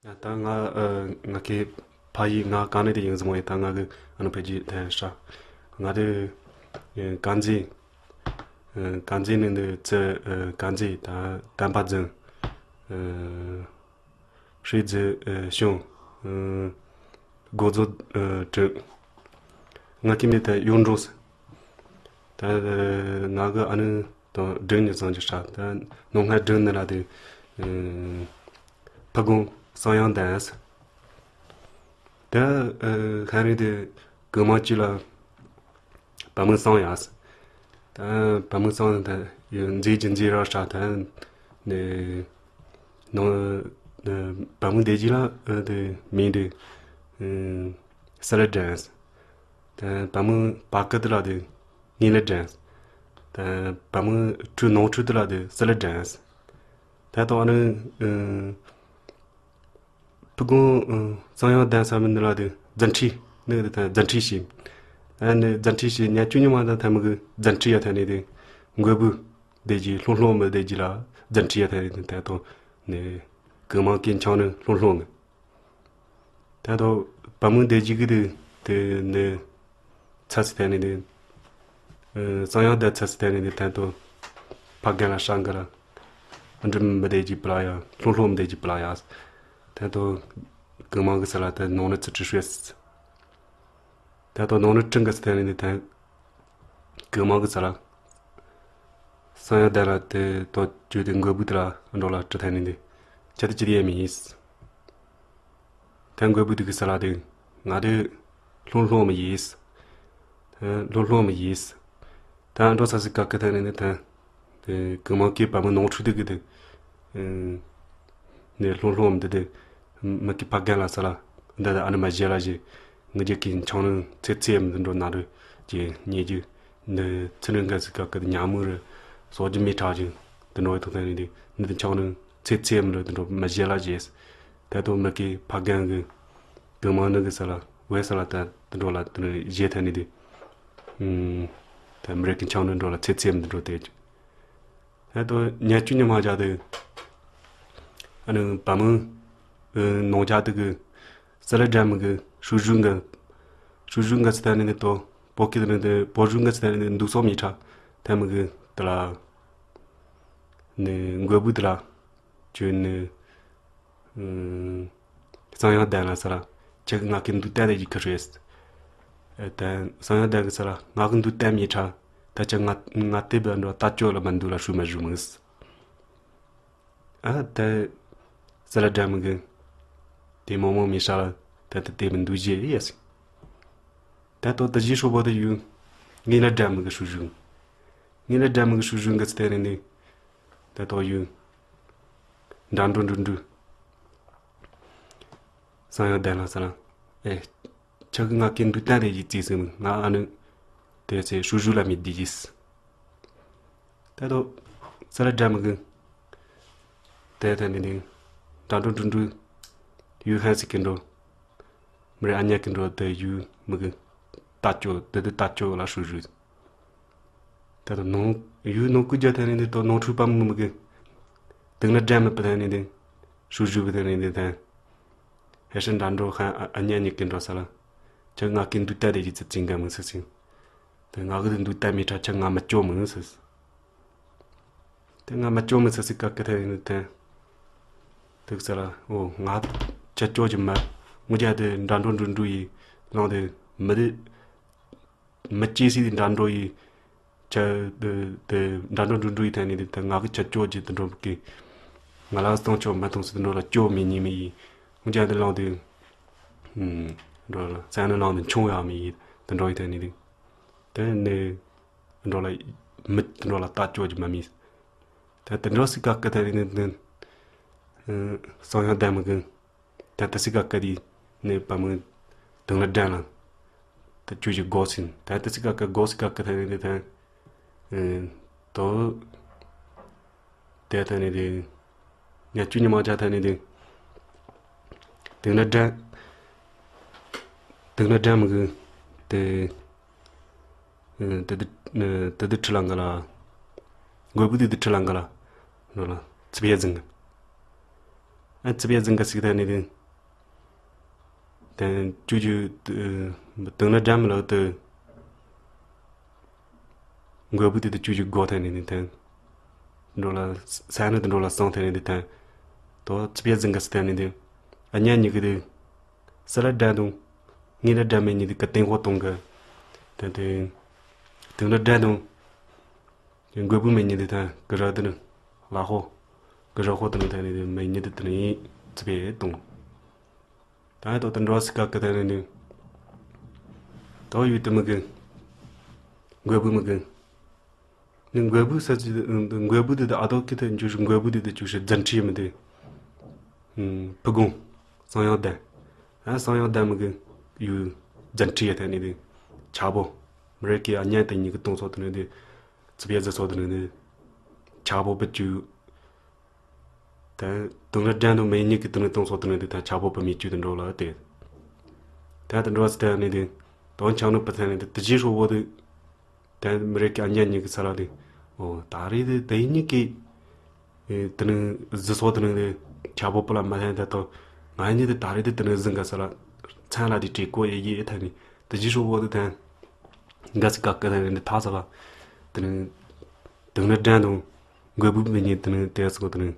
ད་ང་ང་གི་ཕ་ཡིས་ང་གང་ནས་དེ་ཡིན་ཟེར་མོ་ཡིན་ད་ང་གི་ཨ་ནུ་ཕ་གྱི་ཐན་ཧྲ། ང་དེ་དཀར་མཛེས་དཀར་མཛེས་ནས་འདི་ཙི་དཀར་མཛེས་ད་དམ་པ་རྫིང། ཧྲི་ཙི་ཞུང། སྒོ་རྫོ་དྲུག། ང་གི་མི་དེ་གཡུང་དྲུང་ཟེར། ད་ང་གི་ཨ་ནུ་དང་སྒྲིག་ནི་བཟང་རྒྱུ་ཧྲ་ད་ནོ་སྔ་སྒྲིག་ནི་ལ་དེ། ཕ་གུང་གསང་ཡང་ལྡན་ཟེར། ད་ཤ་རིང་དེ་གུ་མ་གཅིག་ལ་བ་མོ་གསང་ཡ་ཟེར། ད་བ་མོ་གསང་ད་མཛེས་ཀྱི་མཛེས་ར་ཧྲ་ད་ནི་ནོ་བ་མོ་བདེ་སྐྱིད་ལ་དེ་མིང་དེ་སི་ལ་དྲན་ཟེར། ད་བ་མོ་བ་ཀི་དེ་ལ་དེ་ངེད་ལ་དྲན། ད་བ་མོ་ཁྲུ་ནོར་ཁྲུ་དེ་ལ་དེ་སི་ལ་དྲན། ད་དང་ནི། ཕུ་གུང་གཙང་ཡང་གདན་ས་མི་ནི་ལ་དེ་རྫ་འཁྲིས་ནི་དེ་རྫ་འཁྲིས་ཞིག། ཨ་ནི་རྫ་འཁྲིས་ཞིག་ཉ 12 མ་དང་ཐ་མི་གི་རྫ་འཁྲིས་ཡ་ཐ་ནི་དེ་མགོ་བུ་བདེ་སྐྱིད་ལྷུང་ལྷུང་མི་བདེ་སྐྱིད་ལ་རྫ་འཁྲིས་ཡ་ཐ་ནི་དེ་ད་དང་ནི་གི་མང་གི་འཆང་ནི་ལྷུང་ལྷུང་གི། ད་དང་བ་མོ་བདེ་སྐྱིད་གི་དེ་དེ་ནི། ཚ་སི་ཐན་ནི་དེ། གཙང་ཡང་བསྡད་ཚ་སི་ཐན་ནི་དེ་ཐན་ཏོ། ཕ་རྒན་ལ་ཧྲ་འགི་ར། འབྲི་མི་བསྡད་ཀྱི་པི་ལ་ཡ། ལྷུང་ལྷུང་མི་བསྡད་ཀྱི་པི་ལ་ཡ། ཐན་ཏོ། གི་མང་གི་སི་ལ་ཐན་ནོང་ནི་ཚི་ཁྲི་ཧྲེ་སི། ཐན་ཏོ་ནོང་ནི་ཁྲི་འགི་སི་ཐན་ནི་དེ་ཐན། གི་མང་གི་སི་ལ། སང་ཡང་བསྡད་ལ་དེ་ཏོ་ཅུ་དེ་འགོས་བུ་དེ་ལ་འགྲོ་ལ་ཁྲི་ཐན་ནི་དེ། ཁྱི་དེ་ཅི་དེ་ཡས་མི་ཡིས། ཐན་འགོས་བུ་དེ་གི་སི་ལ་དེ། ང་དེ། ལྷུང་ལྷུང་མི་ཡིས། ལྷུང་ལྷུང་མི་ཡིས། ད་འགྲོ་ས་སི་ཀ་ཀི་ཐ་ནི་ནི་ཐ། གི་མ་ཀི་བ་མི་ནོང་ཁྲུ་དི་གི་དི། ནི་ལྷུང་ལྷུང་མི་དི་དི། མི་ཀི་ཕ་རྒན་ལ་ས་ལ། འདི་ད་ཨ་ནི་མ་བཞེ་ལ་བཞེ། ངི་རྒྱ་ཀི་འཆང་ནི་ཚེ་ཚེ་མི་དི་འགྲོ་ན་རི། ཀྱི་ཉེ་རྒྱུ། ནི་ཚི་ནི་འག་སི་ཀ་ཀི་དི་ཉ་མུ་རི། སོ་རྒྱུ་མི་ཁྲག་ཅིང་དི་འགྲོ་ཡི་ཐོ་ཐ་ནི་དི། ནི་དི་འཆང་ནི་ཚེ་ཚེ་མི་རི་དི་འགྲོ་མ་བཞེ་ལ་བཞེ། ད་དོ་མི་ཀི་ཕ་རྒན་གི། གི་མ་ནི་གི་ས་ལ་བའི་ས་ལ་ད་དུ་འགྲོ་ལ་དུ་ནི་བཞེས་ཐ་ནི་དེ། ད་མི་རིགས་ཀྱི་འཆང་ནི་འགྲོ་ལ་ཚེ་ཚེ་མི་དུ་འགྲོ་དེ། ད་དུ་ཉལ་བཅུ་ཉི་མ་བྱ་དུ། ཨ་ནི་བ་མི། ནོང་བྱ་དུ་གི། ས་ལ་སྒྲ་མི་གི་ཧྲུ་ཧྲུ་འགི། ཧྲུ་ཧྲུ་འགི་ཚེ་ཐ་ནི་དེ་དོ་པོ་ཀི་དུ་ནི་དེ་པོ་ཧྲུ་འགི་ཚེ་ཐ་ནི་དེ་འདུག་སོག་མི་ཁྲ་ཐ་མི་གི་དུ་ལ། ནི་མགོ་བུ་དུ་ལ། ཅུ་ནི། གསང་ཡང་ལྡན་ལ་ས་ལ། ཁྱེད་ཀྱི་ང་གི་འདུག་སྟན་ཡི་གེ་རེད། གསང་ཡང་ལྡན་གི་ས་ལ་ང་གི་འདུག་སྟན་མི་ཁྲ། ད་ཆ་ང་ང་དེ་བས་འགྲོ་ལྟ་སྤྱོད་ལ་མ་འདུག་ལ་ཧྲུལ་མ་ཧྲུལ་མི་སྲིད། ཨ་ད་ས་ལ་སྒྲ་མི་གི། དེ་མོ་མོ་མི་ཧྲ་ལ་ད་ད་དེ་མི་འདུག་རྗེས་ཡ་སྲིད། ད་ད་ད་གཞི་ཧྲུལ་པོ་དེ་ཡུལ། ངའི་ལ་སྒྲ་མི་གི་ཧྲུལ་ཧྲུལ། ངའི་ལ་སྒྲ་མི་གི་ཧྲུལ་ཧྲུལ་གི་ཚེ་རིང་ནི། ད་ད་ཡུལ། འདྲ་འགྲོ་འགྲོ་འགྲོ། སང་ཡང་བསྡད་ལ་ས་ལ། ཨེ། ཁྱེད་ཀྱི་ང་གི་འདུག་སྟངས་རེ་ཡིས་བརྩིས་ཟིན་ང་ཨ་ནི། དེ་ཚེ་ཧྲུལ་ཧྲུལ་ལ་མི་བསྡད་ཀྱིས། ད་དོ། ས་ལ་སྒྲ་མི་གི། དེ་ཐ་ནི་ནི། འདྲ་འགྲོ་འགྲོ་འགྲོ། ཡུལ་ཧན་སི་གི་འགྲོ། མི་རེ་ཨ་ཉག་གི་འགྲོ་དེ་ཡུལ་མི་གི། ལྟ་སྐྱོ་དེ་དེ་ལྟ་སྐྱོ་ལ་ཧྲུལ་ཧྲུལ། ད་དོ་ནང། ཡུལ་ནང་སྐུ་རྒྱ་ཐ་ནི་ནི་དོ་ནང་འཁྲུལ་པ་མི་མི་གི། དེང་ན་སྒྲ་མི་པི་ཐ་ནི་དེ། ཧྲུ་ཧྲུ་པི་ཐ་ནི་དེ་ཐན། ཧེ་ཧྲི་འདྲ་འགྲོ་ཧན་ཨ་ཉ་ཉི་ཀི་འགྲོ་ས་ལ། ཁྱི་ང་ཀི་འདུག་ཏ་དེ་ཀི་ཙི་ཙི་འགའ་མི་སི་སི། དེ་ང་ཀི་དེ་འདུག་ཏ་མི་ཁྲ་ཁྱི་ང་མི་ཅོ་མི་སི་སི། དེ་ང་མི་ཅོ་མི་སི་སི་ཀ་ཀི་ཐ་ནི་དེ་ཐན། དེ་ཀི་ས་ལ་ཨོ་ང་ཁྱི་ཅོ་ཀྱི་མི། ངུ་རྒྱ་དེ་འདྲ་འགྲོ་འགྲོ་འགྲོ་ཡི་ལང་དེ་མི་དེ། མི་སྐྱེ་སི་དེ་འདྲ་འགྲོ་ཡི། ཁྱི། དེ་འདྲ་འགྲོ་འགྲོ་འགྲོ་ཡི་ཐད་ནས་དེ་ང་གི་ཁྱི་སྐྱོ་རྒྱུ་དེ་འགྲོ་གི། ང་ལ་སྟོང་ཆོག་མི་གཏོང་སྲིད་འགྲོ་ལ་སྐྱོ་མི་ཉན་མི་ཡིན། འོན་ཀྱང་དེ་བླངས་དུས། འགྲོ་ལ་བཙན་ནི་བླངས་དུས་མཆོང་ཡག་མི་ཡིན་དེ་འགྲོ་ཡི་ཐད་ནས་དེ། དེ་ནས་འགྲོ་ལ་མི་དེ་འགྲོ་ལ་ལྟ་སྐྱོ་རྒྱུ་མ་མིན། དེ་དེ་འགྲོ་སྲིད་ག་གི་ཐད་ནས་དེ། སང་ཡང་བསྡད་མི་གི། ད་ལྟ་སི་ཀ་ཀ་དི་ནས་བ་མོ་དང་ལ་སྒྲ་ལ་ད་ཁྱོད་ཀྱི་སྒོ་ཟིན་ད་ལྟ་སི་ཀ་ཀ་སྒོ་སི་ཀ་ཀ་ཐ་ནས་དེ་ཐན་དོ་དེ་ཐ་ནས་དེ་ཉ་ཅུ་ཉི་མ་ཅག་ཐ་ནས་དེ་དང་ལ་སྒྲ་དང་ལ་སྒྲ་མི་གི་དེ་དེ་དེ་དེ་ཁྲི་ལ་འགའ་ལ་མགོ་བོ་དེ་དེ་ཁྲི་ལ་འགའ་ལ་འགྲོ་ལ་ཚིག་བརྒྱ་ཟིན་གི། ཨ་ཙི་པའི་རྫིང་ག་ཟིག་ཐ་ནི་དེ། དེ་ཅུ་ཅུ་དུང་ན་སྒྲ་མི་ལག་ཏུ། མགོ་བོ་དེ་དུ་ཅུ་ཅུ་སྒོ་ཐ་ནི་དེ་ཐན། འགྲོ་ལ་ས་ནི་དུ་འགྲོ་ལ་སང་ཐ་ནི་དེ་ཐན། དོ་ཙི་པའི་རྫིང་ག་ཟིག་ཐ་ནི་དེ། ཨ་མྱ་ཉི་གི་དེ། སི་ལ་སྒྲ་དང། ངེ་ལ་སྒྲ་མེ་ཉི་དེ་གི་སྟེང་ཧོ་དང་གི། དེ་དེ། དུང་ན་སྒྲ་དང། མགོ་བོ་མེ་ཉི་དེ་ཐན་གི་ར་དེ་ནི་ལ་ཧོ། གི་ར་ཧོ་དེ་ནི་ཐ་ནི་དེ་མེ་ཉི་དེ་དེ་ནི་ཙི་པའི་དང། ད་ཏོ་ཏི་འགྲོ་སི་ཀ་ཀི་ཐ་ནི་ནི། ཏོ་ཡུ་ཏི་མི་གི། མགོ་བུ་མི་གི། ནི་མགོ་བུ་ས་ཅི་མགོ་བུ་དེ་ཨ་ཏོ་ཀི་ཐ་འཇུ་ཤི་མགོ་བུ་དེ་ཅུ་ཤི་ཛན་ཁྲི་མི་དེ། ཕུ་གོང། སང་ཡང་ལྡན། ཨ་སང་ཡང་ལྡན་མི་གི། ཡུ་ཛན་ཁྲི་ཡ་ཐ་ནི་དེ། ཆ་བོ། མི་རེ་ཀི་ཨ་ཉན་ཏི་ཉི་གི་ཏོང་སོ་ཏི་ནི་དེ། ཙི་པེ་ཛི་སོ་ཏི་ནི་དེ། ཆ་བོ་པི་ཅུ། དུང་ར་སྦྲན་དུ་མེ་ཉིད་ཀྱི་དུང་ནི་དུང་སོགས་དུ་ནི་དེ་དང་ཆ་བོ་པི་མི་བཅུད་དུ་འགྲོ་ལ་དེ། དེ་དང་འགྲོ་བ་སི་ཐ་ནི་དེ། དོན་ཆང་ནུ་པི་ཐ་ནི་དེ་དེ་རྗེས་ཧྲུ་བོ་དེ། དེ་མི་རེ་ཀི་ཨ་མྱ་ཉིད་ཀྱི་ས་ལ་དེ། ཨོ་ད་རེ་དེ་དེ་ཉིད་ཀྱི། དུ་ནི་ཟི་སོགས་དུ་ནི་དེ། ཆ་བོ་པི་ལ་མ་ཐ་ནི་དེ་དང། ང་ཉིད་དེ་ད་རེ་དེ་དུ་ནི་ཟི་འགའ་ས་ལ། མཚན་ལ་དེ་བྲེ་ཀོ་ཡེ་ཡེ་ཐ་ནི་དེ་རྗེས་ཧྲུ་བོ་དེ་ཐ། འགའ་སི་ཀ་ཀི་ཐ་ནི་དེ་ཐ་ས་ལ། དུ་ནི། དུང་ནི་སྦྲན་དང། མགོ་བོ་མི་ཉིད་དུ་ནི་དེ་སོགས་དུ་ནི།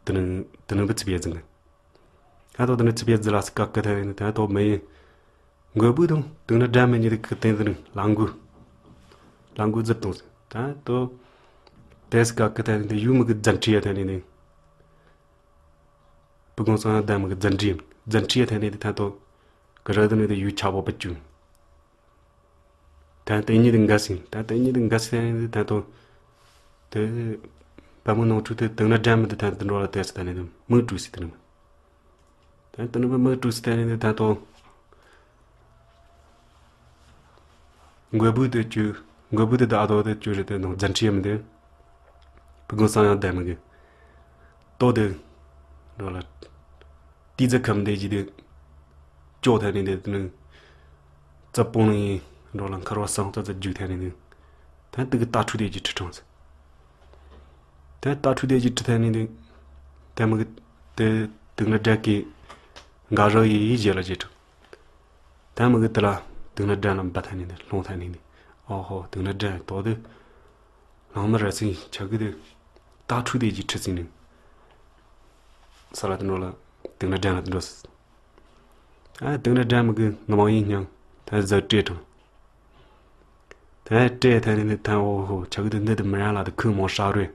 དུ་ནི་དུ་ནི་བུ་ཚི་བའི་རྫི་ནི། ཧ་ཐོག་དུ་ནི་ཚི་བའི་རྫི་ལ་སི་ཀ་ཀི་ཐ་ནི་དེ་ཐོག་མི་ཡིན། མགོ་བོ་དང་དུ་ནི་སྒྲ་མི་ཉིད་ཀི་སྟེང་དུ་ནི་ལ་མགོ། ལ་མགོ་རྫི་དང་ད་དོ། དེ་སི་ཀ་ཀི་ཐ་ནི་དེ་ཡུལ་མི་གི་རྫི་འཁྲི་ཡ་ཐ་ནི་ནི། བུ་གང་སང་ཡང་ལྡན་མི་གི་རྫི་འཁྲི་རྫི་འཁྲི་ཡ་ཐ་ནི་དེ་ཐ་དོ། གི་ར་དུ་ནི་དེ་ཡུལ་ཆ་བོ་པི་ཅུ། ད་དེ་ཉིད་འགའ་ཞིག་ད་དེ་ཉིད་འགའ་ཞིག་ད་དོ། དེ་བ་མོ་ནང་འཁྲུག་དེ་དེང་ན་སྒྲ་མི་དེ་ད་དེ་འགྲོ་ལ་དེ་སི་ད་ནི་དེ་མིག་བཀྲུ་སི་དེ་ནི། ད་དེ་ནི་མིག་བཀྲུ་སི་ད་ནི་དེ་ད་དོ། མགོ་བོ་དེ་བཅུ་མགོ་བོ་དེ་ད་དོ་དེ་བཅུ་རེ་དེ་ནང་རྫ་འཁྲིད་མི་དེ། བུ་གང་སང་ཡང་བསྡད་མི་གི། ཏོ་དེ་འགྲོ་ལ། ཏི་ཛི་ཁམ་དེ་ཅི་དེ། ཅོག་ཐ་ནི་དེ་ནི། རྩ་སྤོང་ནི། འགྲོ་ལ་མཁར་བ་སང་རྩ་རྩ་རྒྱུག་ཐ་ནི་དེ། ད་དེ་གི་རྟ་ཕྲུག་དེ་ཅི་ཁྲི་དྲངས། ད་རྟ་ཕྲུག་དེ་ཅི་ཁྲི་ཐ་ནི་དེ། ད་མི་གི་དེ་དུག་ན་དགྲ་གི། འགའ་རག་ཡི་ཡི་རྗེས་ལ་རྗེས་དྲུག། ད་མི་གི་དེ་ལ་དུག་ན་དགྲ་ལ་འབའ་ཐ་ནི་དེ་སློང་ཐ་ནི་དེ། ཨོ་ཧོ་དུག་ན་དགྲ་དོ་དེ། ལང་མི་ར་ཚིང་བྱ་གི་དེ། རྟ་ཕྲུག་དེ་ཅི་ཁྲི་ཚིང་ནི། ས་ལ་དུ་འགྲོ་ལ། དུག་ན་དགྲ་ལ་དུ་འགྲོ། ཨ་དུག་ན་དགྲ་མི་གི་ང་མང་ཡིན་སྙམ། ད་གཟའ་སྤྲེལ་དྲང། ད་སྤྲེལ་ཐ་ནི་ཐ་ཨོ་ཧོ་ཆ་གི་དུ་འདི་དུ་མི་རང་ལ་དུ་ཁུ་མོ་ཧྲ་རོས།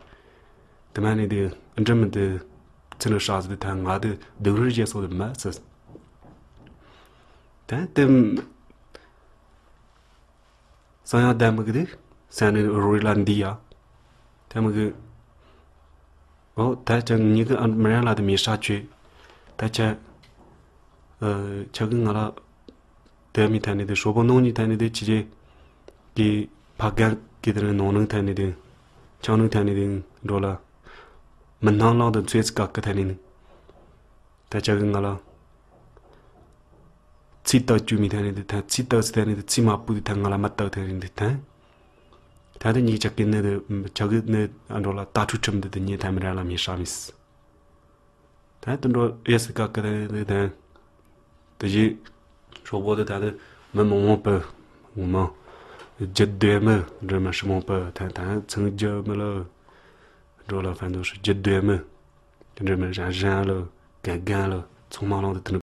དུ་མ་ནི་དུ་འདྲི་མི་དུ་ཚི་ནི་ཧྲ་ཟི་དུ་ཐ་ང་དུ་དུག་རུ་རྗེ་སོགས་དུ་མ་ཟི། ད་དུ་སང་ཡང་དད་མི་གི་དུ་ས་ནི་རོས་ལ་འདི་ཡ། ད་མི་གི་ཨོ་ད་ཅག་ཉི་གི་ཨ་མི་རང་ལ་དུ་མི་ཧྲ་བྱོས། ད་ཆ་ཆ་གི་ང་ལ་དེ་མི་ཐ་ནི་དེ་ཧྲོ་པོ་ནོང་ཉི་ཐ་ནི་དེ་ཆི་ཆེ་གི་ཕ་གན་གི་དེ་ནོང་ནང་ཐ་ནི་དེ་ཆང་ནང་ཐ་ནི་དེ་འགྲོ་ལ་མི་སྣང་ལང་དུ་ཚོས་ཚི་ག་གི་ཐ་ནི་ནི་ད་ཆ་གི་ང་ལ་ཚི་ཏག་ཅུ་མི་ཐ་ནི་དེ་ཐ་ཚི་ཏག་ཚི་ཐ་ནི་དེ་ཚི་མ་པུ་དེ་ཐ་ང་ལ་མ་ཏག་ཐ་ནི་དེ་ཐ་ད་དེ་ཉི་གི་ཆ་གི་ནི་དེ་ཆ་གི་ནི་འགྲོ་ལ་ཏ་ཁྲུ་ཁྲིམ་དེ་དེ་ཉི་ཐ་མི་ར་ལ་མི་ཧྲ་མི་སི། ད་དུ་འགྲོ་ཡེ་སི་ཀ་ཀི་དེ་དེ་དེ་བཞིན་ཧྲོག་པོ་དེ་ད་དུ་མི་མང་མང་པོ་ངོ་མ་རྒྱུ་སྡོད་མི་འགྲོ་མི་ཧྲི་མང་པོ་ད་ད་ཚང་རྒྱུ་མི་ལ་འགྲོ་ལ་ཕན་ཐོགས་ཧྲི་རྒྱུ་སྡོད་མི་འགྲོ་མི་རང་རང་ལ་གན་གན་ལ་ཚང་མ་ལང་དུ་དུ་ནི།